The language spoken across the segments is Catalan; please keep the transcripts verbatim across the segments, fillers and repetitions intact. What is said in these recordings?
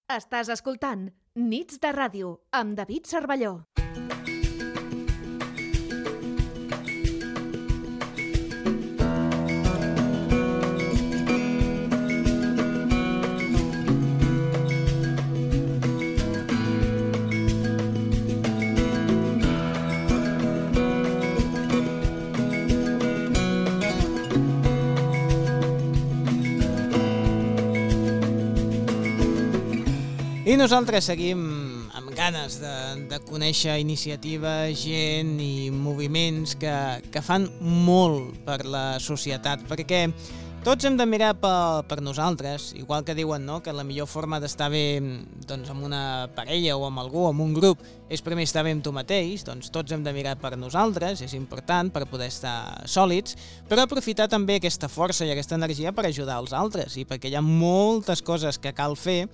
Estàs escoltant Nits de Ràdio amb David Cervelló. I nosaltres seguim amb ganes de, de conèixer iniciatives, gent i moviments que, que fan molt per la societat, perquè tots hem de mirar per, per nosaltres, igual que diuen, no?, que la millor forma d'estar bé doncs, amb una parella o amb algú, amb un grup, és primer estar bé amb tu mateix, doncs tots hem de mirar per nosaltres, és important per poder estar sòlids, però aprofitar també aquesta força i aquesta energia per ajudar els altres, i perquè hi ha moltes coses que cal fer,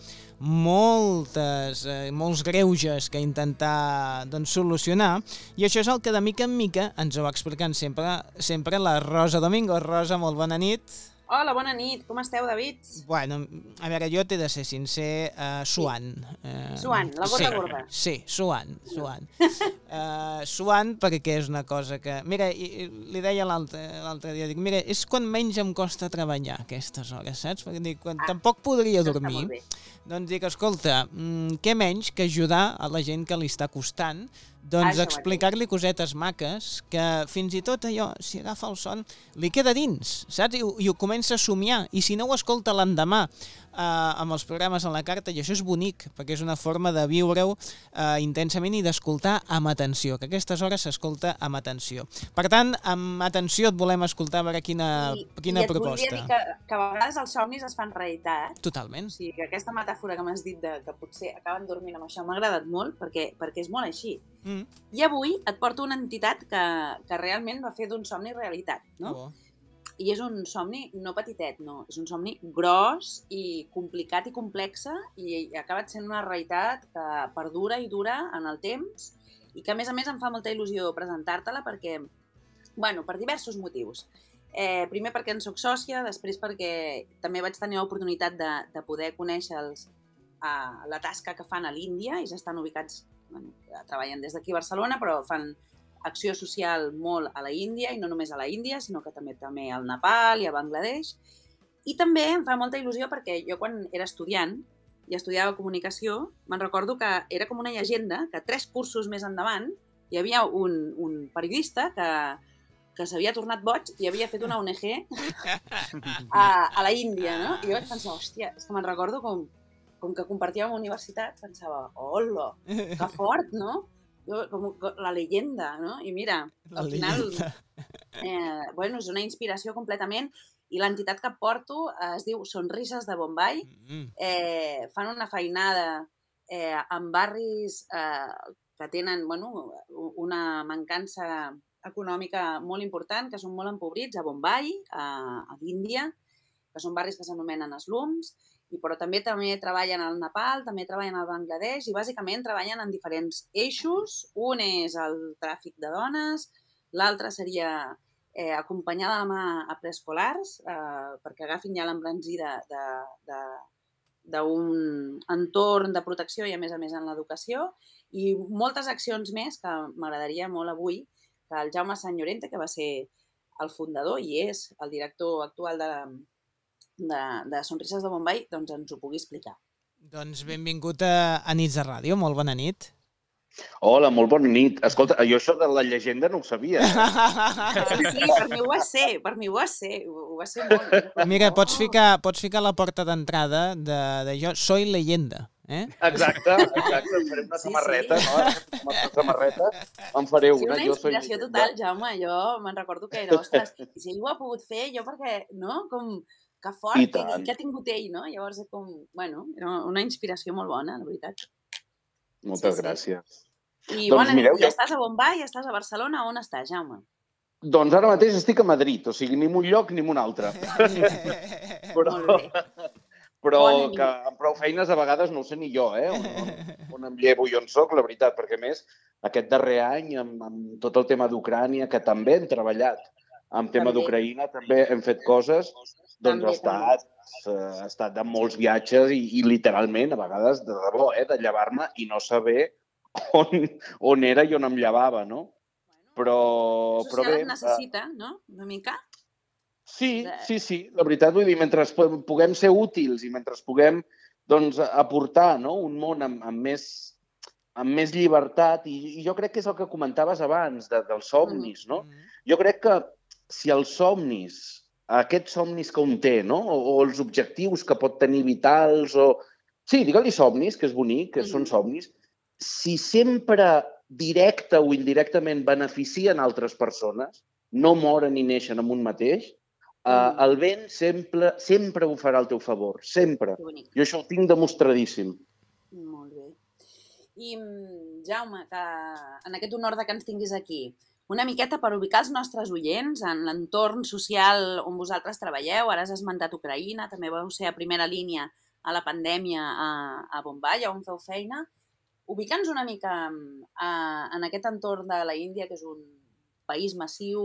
moltes, eh, molts greuges que intentar doncs, solucionar, i això és el que de mica en mica ens ho va explicant sempre, sempre la Rosa Domingo. Rosa, molt bona nit. Hola, bona nit. Com esteu, David? Bueno, a veure, jo t'he de ser sincer, uh, suant. Uh, suant, la gota sí, gorda. Sí, suant, suant. Uh, suant perquè és una cosa que... Mira, i, i, li deia l'altre dia, dic, mira, és quan menys em costa treballar aquestes hores, saps? Perquè dic, quan ah, tampoc podria dormir, doncs dic, escolta, mm, què menys que ajudar a la gent que li està costant, doncs ah, explicar-li cosetes maques que fins i tot allò, si agafa el son, li queda dins, saps? I, i ho comença a somiar. I si no ho escolta l'endemà eh, amb els programes a la carta, i això és bonic, perquè és una forma de viure-ho eh, intensament i d'escoltar amb atenció, que a aquestes hores s'escolta amb atenció. Per tant, amb atenció et volem escoltar a veure quina, I, quina i et proposta. I et volia dir que, que a vegades els somnis es fan realitat. Totalment. O sigui, que aquesta metàfora que m'has dit de que potser acaben dormint amb això m'ha agradat molt, perquè, perquè és molt així. Mm. I avui et porto una entitat que, que realment va fer d'un somni realitat, no? Oh. I és un somni no petitet, no. És un somni gros i complicat i complexa i ha acabat sent una realitat que perdura i dura en el temps i que, a més a més, em fa molta il·lusió presentar-te-la perquè, bueno, per diversos motius. Eh, primer perquè en soc sòcia, després perquè també vaig tenir l'oportunitat de, de poder conèixer els, uh, la tasca que fan a l'Índia i s'estan ubicats, bueno, treballen des d'aquí a Barcelona, però fan acció social molt a la Índia, i no només a la Índia, sinó que també també al Nepal i a Bangladesh. I també em fa molta il·lusió perquè jo quan era estudiant i estudiava comunicació, me'n recordo que era com una llegenda, que tres cursos més endavant hi havia un, un periodista que, que s'havia tornat boig i havia fet una O N G a, a la Índia, no? I jo vaig pensar, hòstia, és que me'n recordo com com que compartíem a la universitat, pensava, hola, que fort, no? Jo, com la leyenda, no? I mira, al final, eh, bueno, és una inspiració completament, i l'entitat que porto es diu Sonrises de Bombai. Eh, fan una feinada eh, en barris eh, que tenen, bueno, una mancança econòmica molt important, que són molt empobrits, a Bombai, a, a l'Índia, que són barris que s'anomenen slums, i però també també treballen al Nepal, també treballen al Bangladesh i bàsicament treballen en diferents eixos. Un és el tràfic de dones, l'altre seria eh, acompanyar de la mà a preescolars eh, perquè agafin ja l'embranzida d'un entorn de protecció i a més a més en l'educació, i moltes accions més que m'agradaria molt avui que el Jaume Sant Llorente, que va ser el fundador i és el director actual de la De, de Sonrises de Bombai, doncs ens ho pugui explicar. Doncs benvingut a, a Nits de Ràdio, molt bona nit. Hola, molt bona nit. Escolta, jo això de la llegenda no ho sabia. Sí, sí, per mi ho va ser, per mi ho va ser, ho va ser molt. Mira, pots ficar, pots ficar la porta d'entrada de, de jo, soy leyenda. Eh? Exacte, exacte, em faré una sí, samarreta, sí. no? Una samarreta, em faré una. Sí, una inspiració jo total, Jaume, jo me'n recordo que era, ostres, si ell ho ha pogut fer, jo perquè, no, com... que fort, que, que ha tingut ell, no? Llavors, com, bueno, era una inspiració molt bona, la veritat. Moltes sí, gràcies. I doncs, bona mireu, nit, ja estàs a Bombai, ja estàs a Barcelona, on estàs, Jaume? Doncs ara mateix estic a Madrid, o sigui, ni en un lloc ni en un altre. Però, però que amb prou feines a vegades no ho sé ni jo, eh? On, on em llevo i on soc, la veritat, perquè més aquest darrer any, amb, amb tot el tema d'Ucrània, que també hem treballat, amb tema d'Ucraïna també hem fet coses, doncs també, ha estat, he estat de molts viatges i, i literalment, a vegades, de debò, eh, de llevar-me i no saber on, on era i on em llevava, no? Però, el però social bé... et necessita, no? Una mica? Sí, sí, sí. La veritat, vull dir, mentre puguem ser útils i mentre puguem doncs, aportar, no? Un món amb, amb, més, amb més llibertat, i, i jo crec que és el que comentaves abans, de, dels somnis, no? Jo crec que si els somnis, aquests somnis que un té, no? O, o els objectius que pot tenir vitals, o... Sí, digue-li somnis, que és bonic, que són somnis. Si sempre directe o indirectament beneficien altres persones, no moren ni neixen amb un mateix, Uh, el vent sempre, sempre ho farà al teu favor, sempre. Jo això ho tinc demostradíssim. Molt bé. I, Jaume, que en aquest honor de que ens tinguis aquí, una miqueta per ubicar els nostres oients en l'entorn social on vosaltres treballeu, ara has esmentat Ucraïna, també vau ser a primera línia a la pandèmia a, a Bombai, on feu feina. Ubica'ns una mica a, en aquest entorn de la Índia, que és un país massiu,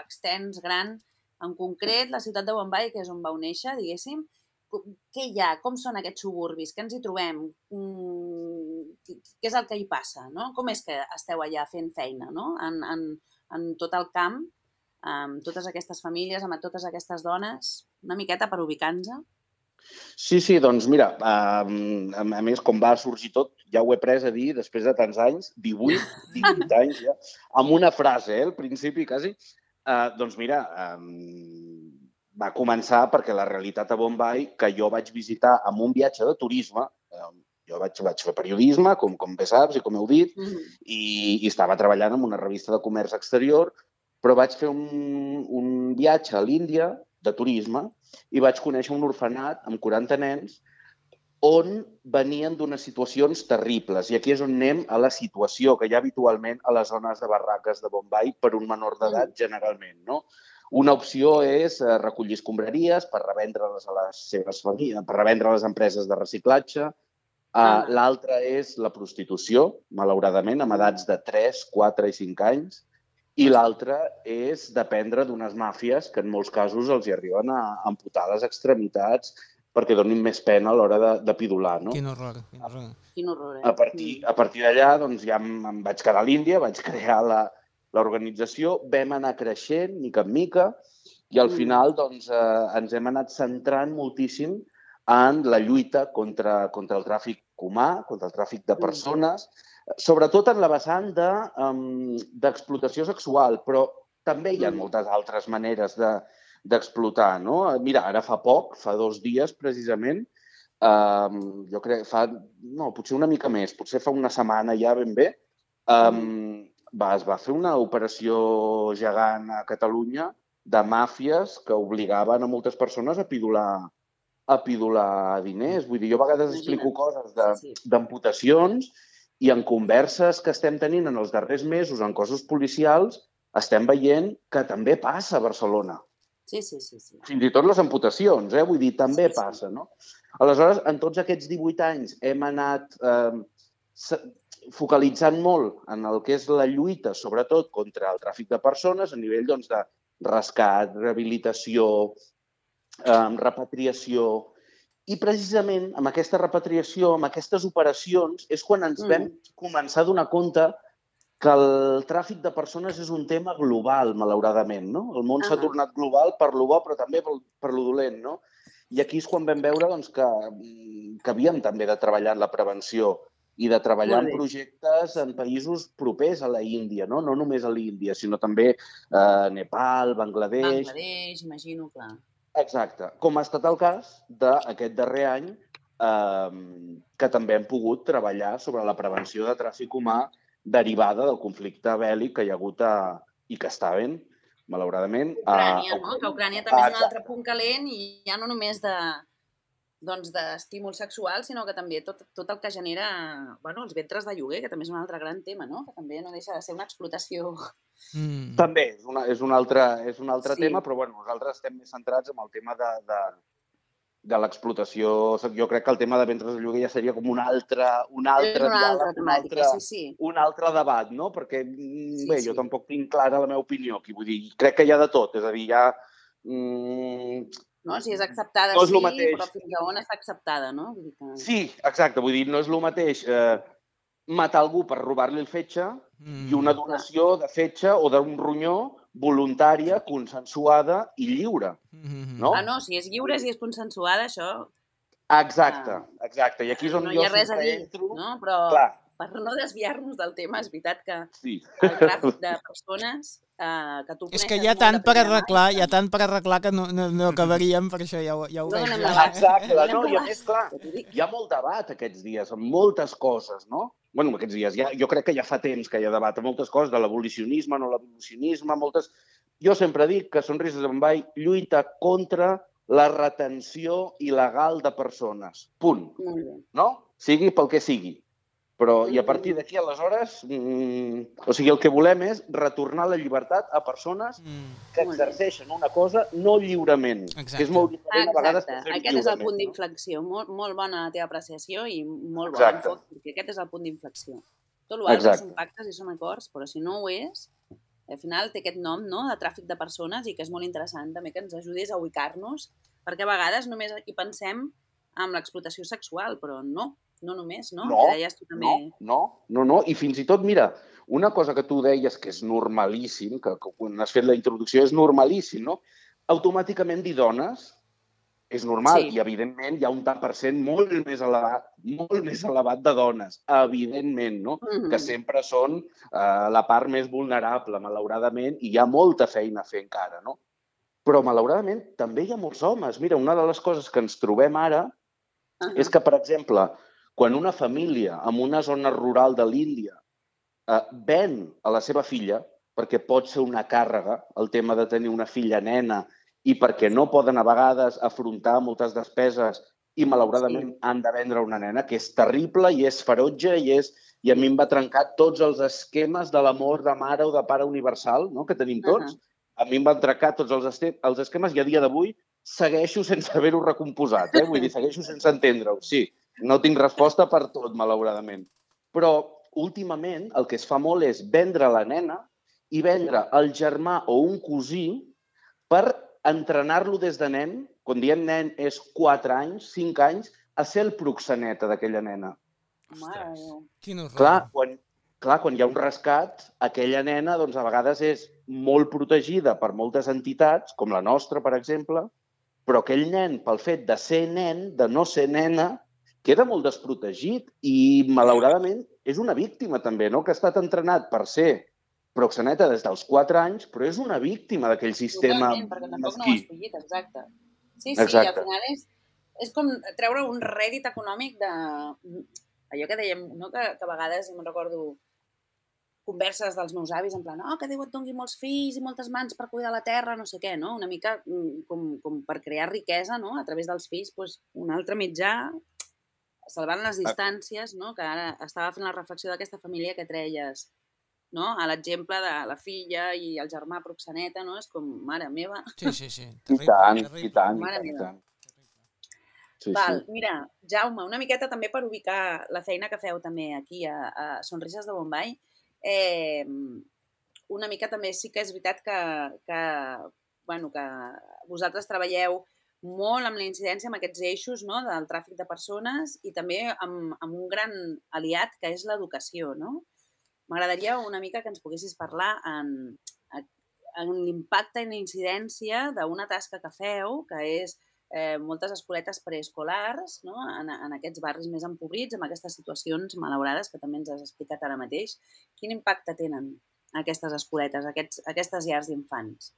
extens, gran. En concret, la ciutat de Bombai, que és on vau néixer, diguéssim, què hi ha? Com són aquests suburbis? Què ens hi trobem? Què és el que hi passa? No? Com és que esteu allà fent feina, no? en, en, en tot el camp, amb totes aquestes famílies, amb totes aquestes dones? Una miqueta per ubicar-nos? Sí, sí, doncs mira, a, a més, com va sorgir tot, ja ho he pres a dir després de tants anys, divuit, divuit anys ja, amb una frase, eh, al principi quasi. Uh, doncs mira, um, va començar perquè la realitat a Bombai, que jo vaig visitar amb un viatge de turisme, um, jo vaig, vaig fer periodisme, com, com bé saps i com heu dit, mm. i, i estava treballant en una revista de comerç exterior, però vaig fer un, un viatge a l'Índia de turisme i vaig conèixer un orfenat amb quaranta nens on venien d'unes situacions terribles. I aquí és on anem a la situació que hi ha habitualment a les zones de barraques de Bombai per un menor d'edat, generalment, no? Una opció és recollir escombraries per revendre-les a les seves famílies, per revendre a les empreses de reciclatge. Ah. L'altra és la prostitució, malauradament, amb edats de tres, quatre i cinc anys. I l'altra és dependre d'unes màfies que en molts casos els hi arriben a amputar les extremitats perquè donin més pena a l'hora de, de pidolar, no? Quin horror, quin horror. Quin horror, eh? A partir, a partir d'allà, doncs, ja em, em vaig quedar a l'Índia, vaig crear la, l'organització, vam anar creixent, mica en mica, i al final, doncs, eh, ens hem anat centrant moltíssim en la lluita contra, contra el tràfic humà, contra el tràfic de persones, sobretot en la vessant de, um, d'explotació sexual, però també hi ha moltes altres maneres de, d'explotar, no? Mira, ara fa poc, fa dos dies precisament, um, jo crec, fa, no, potser una mica més, potser fa una setmana ja ben bé, um, va, es va fer una operació gegant a Catalunya de màfies que obligaven a moltes persones a pidolar, a pidolar diners. Vull dir, jo a vegades explico coses de, d'amputacions i en converses que estem tenint en els darrers mesos en cossos policials estem veient que també passa a Barcelona. Sí, sí, sí, sí. Fins i tot les amputacions, eh? Vull dir, també sí, passa, sí. No? Aleshores, en tots aquests divuit anys hem anat eh, focalitzant molt en el que és la lluita, sobretot contra el tràfic de persones, a nivell doncs, de rescat, rehabilitació, eh, repatriació. I precisament amb aquesta repatriació, amb aquestes operacions, és quan ens mm. vam començar a donar compte que el tràfic de persones és un tema global, malauradament, no? El món s'ha uh-huh. tornat global per lo bo, però també per, per lo dolent, no? I aquí és quan vam veure doncs, que, que havíem també de treballar en la prevenció i de treballar en projectes en països propers a la Índia, no? No només a l'Índia, sinó també a eh, Nepal, Bangladesh... Bangladesh, imagino, clar. Exacte. Com ha estat el cas d'aquest darrer any, eh, que també hem pogut treballar sobre la prevenció de tràfic humà derivada del conflicte bèl·lic que hi ha hagut a, i que està havent, malauradament. Ucrània, a... no? Que Ucrània també és un altre punt calent i ja no només de doncs d'estímul sexual, sinó que també tot, tot el que genera bueno, els ventres de lloguer, que també és un altre gran tema, no? Que també no deixa de ser una explotació. Mm. També és, una, és un altre, és un altre sí. tema, però bueno, nosaltres estem més centrats en el tema de, de, de l'explotació. Jo crec que el tema de ventres de lloguer ja seria com un altre, un altre, una diàleg, altra temàtica, un altre, sí, sí. un altre debat, no? Perquè, sí, bé, sí. jo tampoc tinc clara la meva opinió aquí. Vull dir, crec que hi ha de tot, és a dir, hi ha... Mm, No? Si és acceptada, no és sí, lo mateix. però fins a on està acceptada, no? Vull dir que... Sí, exacte. Vull dir, no és el mateix eh, matar algú per robar-li el fetge mm. i una donació de fetge o d'un ronyó voluntària, consensuada i lliure. No? Ah, no, si és lliure, si és consensuada, això... Exacte, exacte. I aquí és on no jo hi ha res a sempre dir, entro... no? Però Clar. per no desviar-nos del tema, és veritat que sí. el tràfic de persones eh, que tu coneixes... És que hi ha tant per arreglar, hi ha tant per arreglar que no, no, no acabaríem, per això ja ho, ja ho no veig. Ja. Exacte, no, i a més, clar, hi ha molt debat aquests dies, amb moltes coses, no? Bueno, aquests dies, ja, jo crec que ja fa temps que hi ha debat amb moltes coses, de l'abolicionisme, no l'abolicionisme, moltes... Jo sempre dic que Sonrises de Bombai lluita contra la retenció il·legal de persones. Punt. Molt bé. No? Sigui pel que sigui. Però, i a partir d'aquí, aleshores, mmm, o sigui, el que volem és retornar la llibertat a persones mm. que exerceixen una cosa no lliurement. Exacte. Que és molt diferent Exacte. a vegades que fer Aquest és el punt d'inflexió. No? Molt, molt bona la teva apreciació i molt bon enfoc, perquè aquest és el punt d'inflexió. Tot l'altre són pactes i són acords, però si no ho és, al final té aquest nom, no?, de tràfic de persones i que és molt interessant també que ens ajudis a ubicar-nos, perquè a vegades només hi pensem en l'explotació sexual, però no. No només, no? No, que deies tu també... no, no, no, i fins i tot, mira, una cosa que tu deies que és normalíssim, que, que quan has fet la introducció és normalíssim, no? Automàticament dir dones és normal sí. I, evidentment, hi ha un tant per cent molt més elevat, molt més elevat de dones, evidentment, no? Mm-hmm. Que sempre són eh, la part més vulnerable, malauradament, i hi ha molta feina a fer encara, no? Però, malauradament, també hi ha molts homes. Mira, una de les coses que ens trobem ara uh-huh. és que, per exemple, quan una família en una zona rural de l'Índia eh, ven a la seva filla, perquè pot ser una càrrega, el tema de tenir una filla nena, i perquè no poden a vegades afrontar moltes despeses i malauradament sí. Han de vendre una nena, que és terrible i és ferotge i, és, i a mi em va trencar tots els esquemes de l'amor de mare o de pare universal, no?, que tenim tots. Uh-huh. A mi em van trencar tots els, este, els esquemes i a dia d'avui segueixo sense haver-ho recomposat, eh? Vull dir, segueixo sense entendre-ho, sí. No tinc resposta per tot, malauradament. Però, últimament, el que es fa molt és vendre la nena i vendre el germà o un cosí per entrenar-lo des de nen, quan diem nen és quatre anys, cinc anys, a ser el proxeneta d'aquella nena. Ostres, quin horror. Clar, quan, clar, quan hi ha un rescat, aquella nena, doncs, a vegades és molt protegida per moltes entitats, com la nostra, per exemple, però aquell nen, pel fet de ser nen, de no ser nena, queda molt desprotegit i, malauradament, és una víctima també, no?, que ha estat entrenat per ser proxeneta des dels quatre anys, però és una víctima d'aquell sistema mesquí. Perquè tampoc mesquí. No ho has escollit, exacte. Sí, sí, exacte. Al final és, és com treure un rèdit econòmic de... Allò que dèiem, no?, que, que a vegades, me'n recordo, converses dels meus avis, en plan, oh, que Déu et doni molts fills i moltes mans per cuidar la terra, no sé què, no? Una mica com, com per crear riquesa, no?, a través dels fills, doncs, un altre mitjà, salvant les distàncies, no?, que ara estava fent la reflexió d'aquesta família que treies, no?, a l'exemple de la filla i el germà proxeneta, no?, és com, mare meva. Sí, sí, sí. Terrible, I tant, terrible. I tant, mare i tant. Sí, Val, sí. Mira, Jaume, una miqueta també per ubicar la feina que feu també aquí a, a Sonrises de Bombai, eh, una mica també sí que és veritat que, que, bueno, que vosaltres treballeu molt amb la incidència, amb aquests eixos, no?, del tràfic de persones i també amb, amb un gran aliat que és l'educació, no? M'agradaria una mica que ens poguessis parlar en, en l'impacte i la incidència d'una tasca que feu, que és eh, moltes escoletes preescolars, no?, en, en aquests barris més empobrits, amb aquestes situacions malaurades que també ens has explicat ara mateix. Quin impacte tenen aquestes escoletes, aquests, aquestes llars d'infants?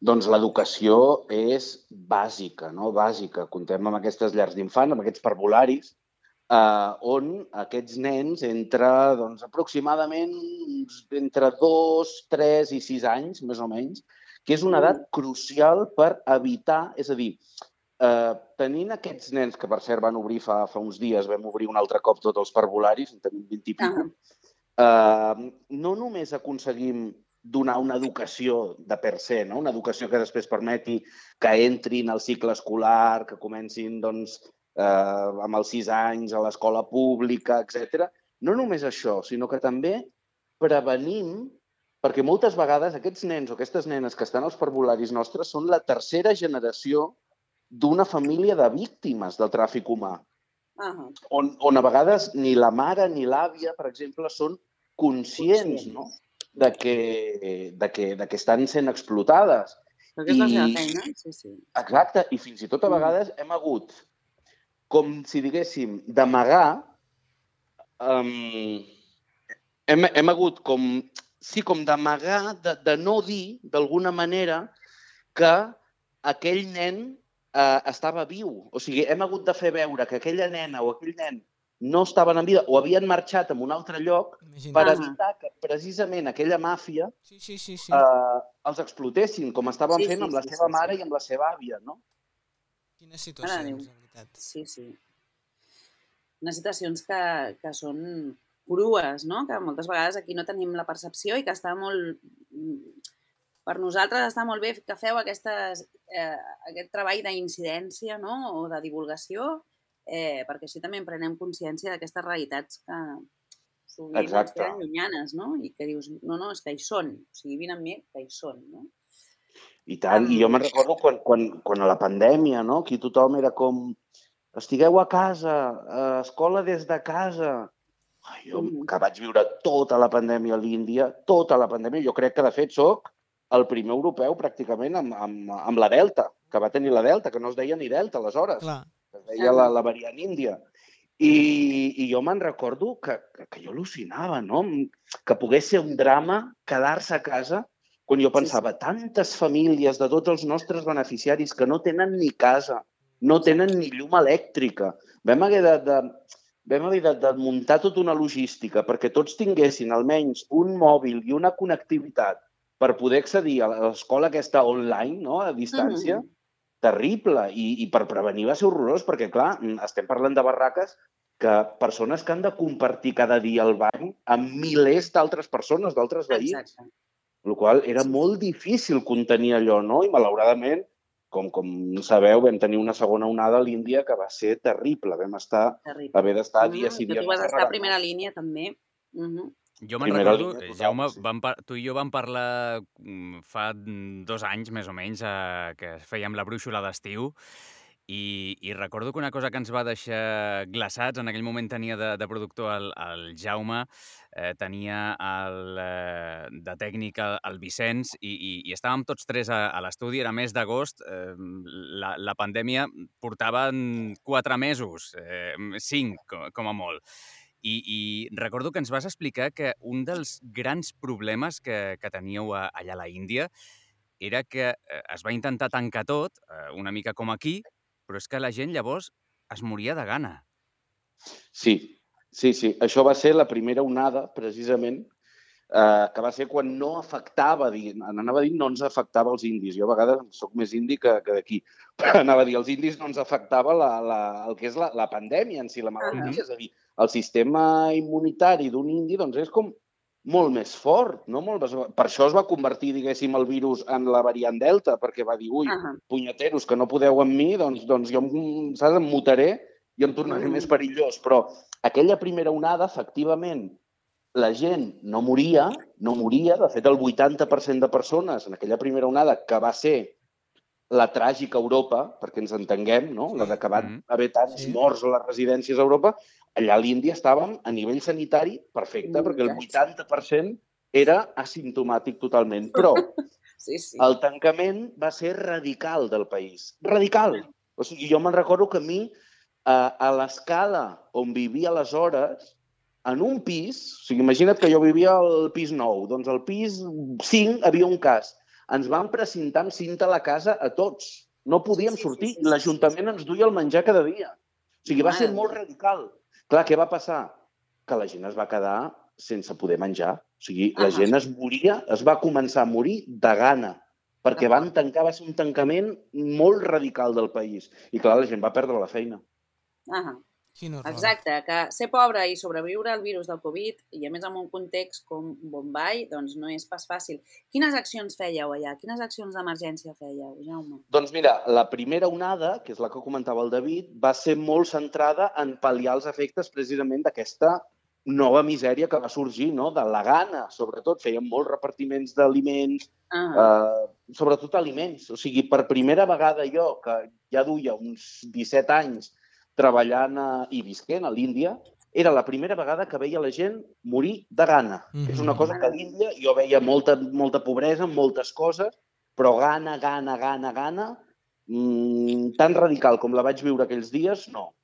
Doncs l'educació és bàsica, no? Bàsica. Contem amb aquestes llars d'infants, amb aquests parvularis, eh, on aquests nens entre, doncs, aproximadament entre dos, tres i sis anys, més o menys, que és una edat crucial per evitar, és a dir, eh, tenint aquests nens, que per cert van obrir fa, fa uns dies, vam obrir un altre cop tots els parvularis, en tenim vint i pico, eh, no només aconseguim donar una educació de per se, no? Una educació que després permeti que entrin al cicle escolar, que comencin doncs, eh, amb els sis anys a l'escola pública, etcètera. No només això, sinó que també prevenim perquè moltes vegades aquests nens o aquestes nenes que estan als parvularis nostres són la tercera generació d'una família de víctimes del tràfic humà, uh-huh. on, on a vegades ni la mare ni l'àvia, per exemple, són conscients, no? de, que, de, que, de que estan sent explotades. Perquè és la seva feina, sí, sí. Exacte, i fins i tot a vegades hem hagut, com si diguéssim, d'amagar, um, hem, hem hagut com, sí, com d'amagar, de, de no dir, d'alguna manera, que aquell nen eh, estava viu. O sigui, hem hagut de fer veure que aquella nena o aquell nen no estaven en vida o havien marxat a un altre lloc Imagina. per evitar que precisament aquella màfia sí, sí, sí, sí. Eh, els explotessin, com estaven sí, fent sí, amb la sí, seva sí, mare sí. i amb la seva àvia, no? Quines situacions, en veritat. Sí, sí. Unes situacions que, que són crues, no? Que moltes vegades aquí no tenim la percepció i que està molt... Per nosaltres està molt bé que feu aquestes, eh, aquest treball d'incidència, no? O de divulgació, eh, perquè així també en prenem consciència d'aquestes realitats que sovint ens queden llunyanes, no? I que dius, no, no, és que hi són. O sigui, vine amb mi, que hi són, no? I tant, um... i jo me'n recordo quan, quan, quan a la pandèmia, no? Aquí tothom era com, estigueu a casa, a escola des de casa. Ai, jo, mm. que vaig viure tota la pandèmia a l'Índia, tota la pandèmia, jo crec que de fet soc el primer europeu pràcticament amb, amb, amb la Delta, que va tenir la Delta, que no es deia ni Delta aleshores, Clar. es deia la, la variant índia. I, i jo me'n recordo que, que, que jo al·lucinava, no? Que pogués ser un drama quedar-se a casa quan jo pensava, sí, sí. tantes famílies de tots els nostres beneficiaris que no tenen ni casa, no tenen ni llum elèctrica. Vam haver de, de, vam haver de, de muntar tota una logística perquè tots tinguessin almenys un mòbil i una connectivitat per poder accedir a l'escola aquesta online, no? A distància, mm-hmm. terrible. I, I per prevenir va ser horrorós, perquè, clar, estem parlant de barraques que persones que han de compartir cada dia el bany amb milers d'altres persones, d'altres veïns. Exacte. El qual era molt difícil contenir allò, no? I, malauradament, com, com sabeu, vam tenir una segona onada a l'Índia que va ser terrible. Vam estar, terrible. haver d'estar mm-hmm. dies i dies. Que tu vas estar a primera línia, també. Mm-hmm. Jo me'n recordo, línia, Jaume, vam tu i jo vam parlar fa dos anys, més o menys, eh, que fèiem la brúixola d'estiu, i, i recordo que una cosa que ens va deixar glaçats, en aquell moment tenia de, de productor el, el Jaume, eh, tenia el, eh, de tècnic el, el Vicenç, i, i, i estàvem tots tres a, a l'estudi, era mes d'agost, eh, la, la pandèmia portava quatre mesos, eh, cinc com, com a molt. I, I recordo que ens vas explicar que un dels grans problemes que, que teníeu a, allà a la Índia era que eh, es va intentar tancar tot, eh, una mica com aquí, però és que la gent llavors es moria de gana. Sí, sí, sí. Això va ser la primera onada, precisament, eh, que va ser quan no afectava, anava a dir no ens afectava els indis. Jo a vegades soc més indi que, que d'aquí, però anava a dir els indis no ens afectava la, la, el que és la, la pandèmia en si, la malaltia, uh-huh. és a dir, el sistema immunitari d'un indi doncs, és com molt més fort. No? Molt més... Per això es va convertir, diguéssim, el virus en la variant Delta, perquè va dir, ui, uh-huh. punyeteros, que no podeu amb mi, doncs, doncs jo em, saps, em mutaré i em tornaré uh-huh. més perillós. Però aquella primera onada, efectivament, la gent no moria, no moria. De fet, el vuitanta per cent de persones en aquella primera onada, que va ser la tràgica Europa, perquè ens entenguem, no? La de que van haver tants sí. morts a les residències a Europa, allà a l'Índia estàvem a nivell sanitari perfecte, mm, perquè el vuitanta per cent era asimptomàtic totalment. Però sí, sí. el tancament va ser radical del país. Radical! O sigui, jo me'n recordo que a mi, a, a l'escala on vivia aleshores, en un pis, o sigui, imagina't que jo vivia al pis nou, doncs al pis cinc havia un cas. Ens van precintar amb cinta a la casa a tots. No podíem sortir. Sí, sí, sí, l'Ajuntament ens duia el menjar cada dia. O sigui, va ser molt radical. Clar, què va passar? Que la gent es va quedar sense poder menjar. O sigui, la ah, gent es moria, es va començar a morir de gana, perquè van tancar, va ser un tancament molt radical del país. I clar, la gent va perdre la feina. Ah, exacte, que ser pobre i sobreviure al virus del Covid, i a més en un context com Bombai, doncs no és pas fàcil. Quines accions fèieu allà? Quines accions d'emergència fèieu, Jaume? Doncs mira, la primera onada, que és la que comentava el David, va ser molt centrada en pal·liar els efectes precisament d'aquesta nova misèria que va sorgir, no? De la gana, sobretot. Fèiem molts repartiments d'aliments, uh, sobretot aliments. O sigui, per primera vegada jo, que ja duia uns disset anys treballant a, i visquent a l'Índia, era la primera vegada que veia la gent morir de gana. Mm-hmm. És una cosa que a l'Índia jo veia molta, molta pobresa, moltes coses, però gana, gana, gana, gana, mmm, tan radical com la vaig viure aquells dies, no.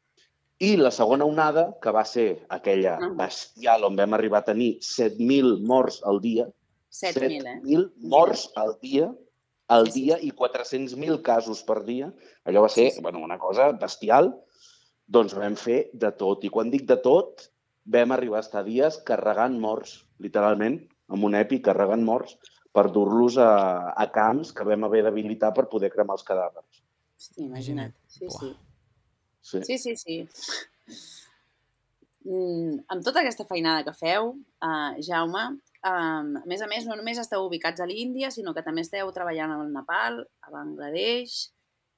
I la segona onada, que va ser aquella bestial on vam arribar a tenir set mil morts al dia, set mil, eh? set mil morts al dia, al dia i quatre-cents mil casos per dia, allò va ser bueno, una cosa bestial, doncs vam fer de tot. I quan dic de tot, vam arribar a estar dies carregant morts, literalment, amb un epi carregant morts, per dur-los a, a camps que vam haver d'habilitar per poder cremar els cadàvers. Hosti, imagina't. Sí, sí. Sí, sí, sí. sí. Mm, amb tota aquesta feinada que feu, uh, Jaume, um, a més a més, no només esteu ubicats a l'Índia, sinó que també esteu treballant al Nepal, a Bangladesh.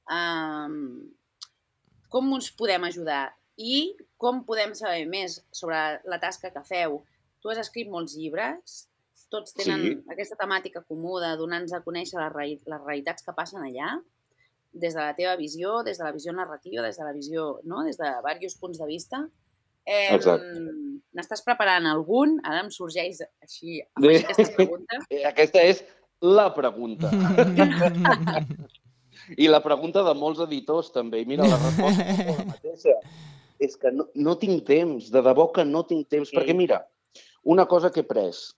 Um, com us podem ajudar? I com podem saber més sobre la tasca que feu? Tu has escrit molts llibres, tots tenen sí. aquesta temàtica comú de donar-nos a conèixer les, reali les realitats que passen allà, des de la teva visió, des de la visió narrativa, des de la visió, no? Des de diversos punts de vista. Eh, N'estàs preparant algun? Ara em sorgeix així afegir aquesta pregunta. Aquesta és la pregunta. I la pregunta de molts editors, també. I mira, la resposta és la mateixa. És que no, no tinc temps, de debò que no tinc temps. Sí. Perquè, mira, una cosa que he pres,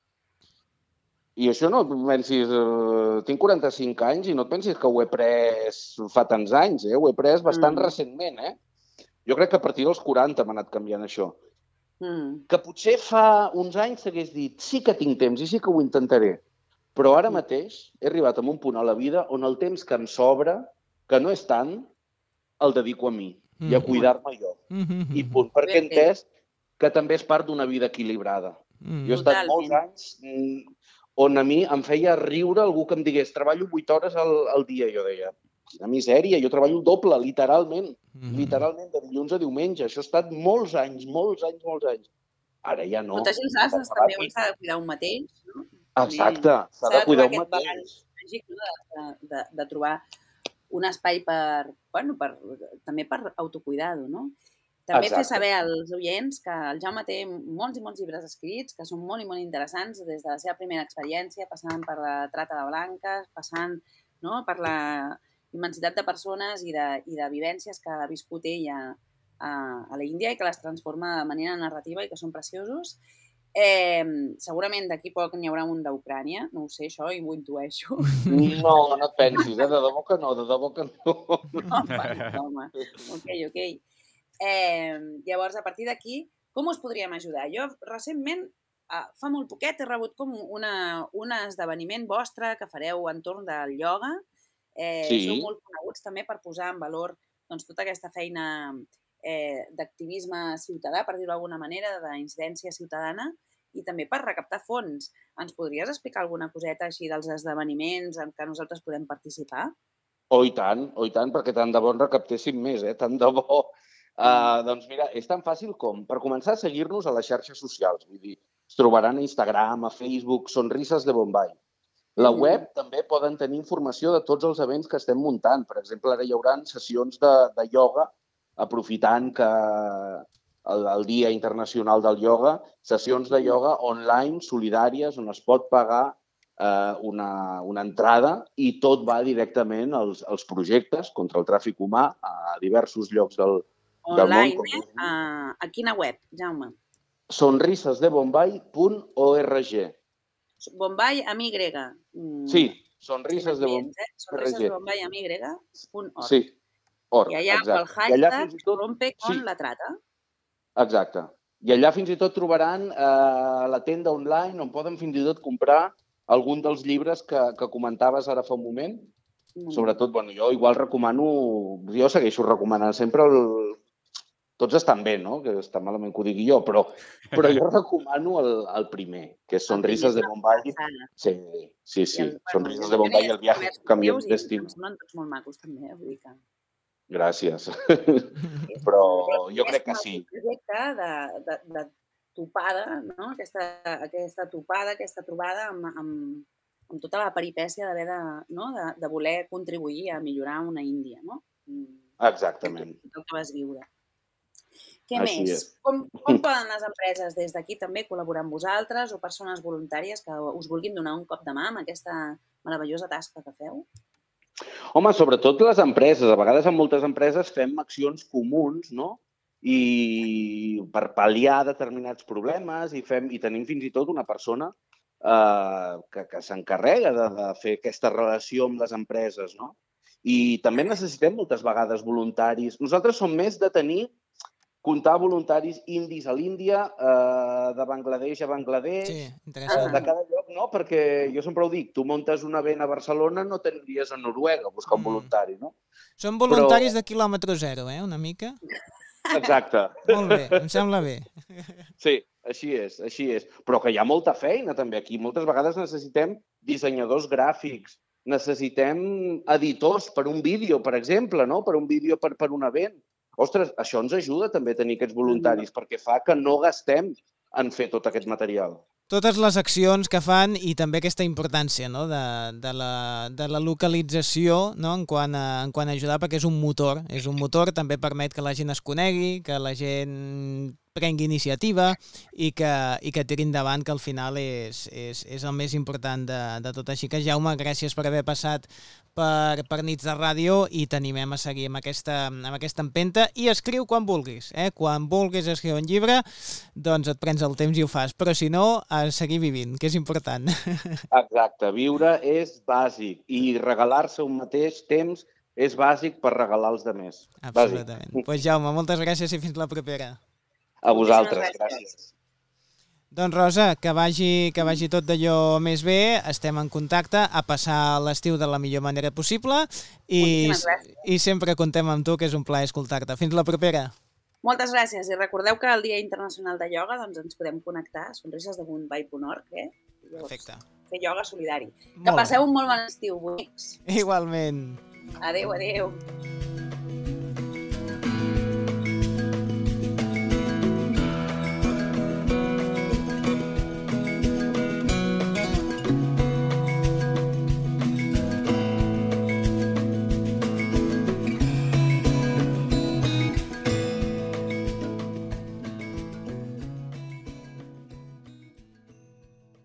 i això no et pensis... Eh, tinc quaranta-cinc anys i no et pensis que ho he pres fa tants anys, eh? Ho he pres bastant mm. recentment, eh? Jo crec que a partir dels quaranta m'ha anat canviant això. Mm. Que potser fa uns anys s'hagués dit sí que tinc temps i sí que ho intentaré. Però ara mateix he arribat a un punt a la vida on el temps que em sobra, que no és tant, el dedico a mi mm. i a cuidar-me jo. Mm-hmm. I punt, perquè he entès que també és part d'una vida equilibrada. Mm. Jo he estat molts anys on a mi em feia riure algú que em digués treballo vuit hores al, al dia. Jo deia, quina misèria, jo treballo el doble, literalment. Mm. Literalment, de dilluns a diumenge. Això ha estat molts anys, molts anys, molts anys. Ara ja no. Molta gent també s'ha de cuidar un mateix, no? Exacte, s'ha de cuidar un mateix. Màgic, no? de, de, de trobar un espai per, bueno, per, també per autocuidar-ho, no? També Exacte. Fer saber als oients que el Jaume té molts i molts llibres escrits, que són molt i molt interessants, des de la seva primera experiència, passant per la trata de blanques, passant no? per la immensitat de persones i de, i de vivències que ha viscut ell a, a, a l'Índia i que les transforma de manera narrativa i que són preciosos. Eh, segurament d'aquí poc n'hi haurà un d'Ucrània, no ho sé, això, i ho intueixo. No, no et pensis, eh? De debò que no, de debò que no. No, vale, home. Ok, ok. Eh, llavors, a partir d'aquí, com us podríem ajudar? Jo, recentment, fa molt poquet, he rebut com una, un esdeveniment vostre que fareu entorn del ioga. Eh, sí. Sou molt coneguts també per posar en valor doncs, tota aquesta feina Eh, d'activisme ciutadà, per dir-ho d'alguna manera, d'incidència ciutadana, i també per recaptar fons. Ens podries explicar alguna coseta així dels esdeveniments en què nosaltres podem participar? Oh, i tant, oh, i tant, perquè tant de bo en recaptéssim més, eh? Tant de bo. Uh, doncs mira, és tan fàcil com, per començar a seguir-nos a les xarxes socials, vull dir, es trobaran a Instagram, a Facebook, Sonrises de Bombay. La web mm. també poden tenir informació de tots els events que estem muntant. Per exemple, ara hi haurà sessions de, de ioga aprofitant que el, el Dia Internacional del Ioga, sessions de ioga online, solidàries, on es pot pagar eh, una, una entrada i tot va directament als, als projectes contra el tràfic humà a diversos llocs del, del món. Online, eh? A, a quina web, Jaume? sonrises de bombay punt org. Bombay amb Y. Mm. Sí, sonrises de bombay. Eh? Sonrises de bombay amb Y punt org. Sí. Or, I allà exacte. El hashtag tot, rompe con sí. la trata. Exacte. I allà fins i tot trobaran eh, la tenda online on poden fins i tot comprar algun dels llibres que, que comentaves ara fa un moment. Mm. Sobretot, bueno, jo igual recomano, jo segueixo recomanant sempre el... Tots estan bé, no? Que està malament que ho digui jo, però, però jo recomano el, el primer, que és Sonrises de Bombay. Sí, sí, sí. El, Sonrises de Bombay i el viaje que canvió el destí. Em semblen tots molt macos, també, vull dir que... Gràcies. Però jo crec que sí. És un projecte de, de, de topada, no? aquesta, aquesta topada, aquesta trobada amb, amb, amb tota la peripècia d'haver de, no? de, de voler contribuir a millorar una Índia, no? Exactament. El que vas viure. Què Així més? és. Com, com poden les empreses des d'aquí també col·laborar amb vosaltres o persones voluntàries que us vulguin donar un cop de mà amb aquesta meravellosa tasca que feu? Home, sobretot les empreses. A vegades en moltes empreses fem accions comuns, no? I per pal·liar determinats problemes i, fem, i tenim fins i tot una persona eh, que, que s'encarrega de, de fer aquesta relació amb les empreses, no? I també necessitem moltes vegades voluntaris. Nosaltres som més de tenir, comptar voluntaris indis a l'Índia, eh, de Bangladesh a Bangladesh, sí, de cada lloc, no? Perquè jo sempre ho dic, tu muntes un event a Barcelona, no t'aniries a Noruega a buscar un voluntari, no? Són voluntaris Però... de quilòmetre zero, eh, una mica? Exacte. Molt bé, em sembla bé. Sí, així és, així és. Però que hi ha molta feina també aquí. Moltes vegades necessitem dissenyadors gràfics, necessitem editors per un vídeo, per exemple, no? Per un vídeo per, per un event. Ostres, això ens ajuda també a tenir aquests voluntaris, perquè fa que no gastem en fer tot aquest material. Totes les accions que fan i també aquesta importància, no? de, de, la, de la localització, no? en, quant a, en quant a ajudar, perquè és un motor. És un motor, també permet que la gent es conegui, que la gent prengui iniciativa i que, i que tiri endavant, que al final és, és, és el més important de, de tot. Així que, Jaume, gràcies per haver passat per, per Nits de Ràdio i t'animem a seguir amb aquesta, amb aquesta empenta i escriu quan vulguis. Eh? Quan vulguis escriure un llibre, doncs et prens el temps i ho fas. Però si no, a seguir vivint, que és important. Exacte. Viure és bàsic i regalar-se un mateix temps és bàsic per regalar als altres. Absolutament. Doncs pues, Jaume, moltes gràcies i fins la propera. A vosaltres, gràcies. Doncs Rosa, que vagi, que vagi tot d'allò més bé, estem en contacte, a passar l'estiu de la millor manera possible i, i sempre contem amb tu, que és un plaer escoltar-te. Fins la propera. Moltes gràcies i recordeu que el Dia Internacional de Ioga doncs ens podem connectar a sonrises de Mumbai punt org, eh? Perfecte. Fer ioga solidari. Molt que passeu un molt bon estiu, bonics. Igualment. Adéu, adéu.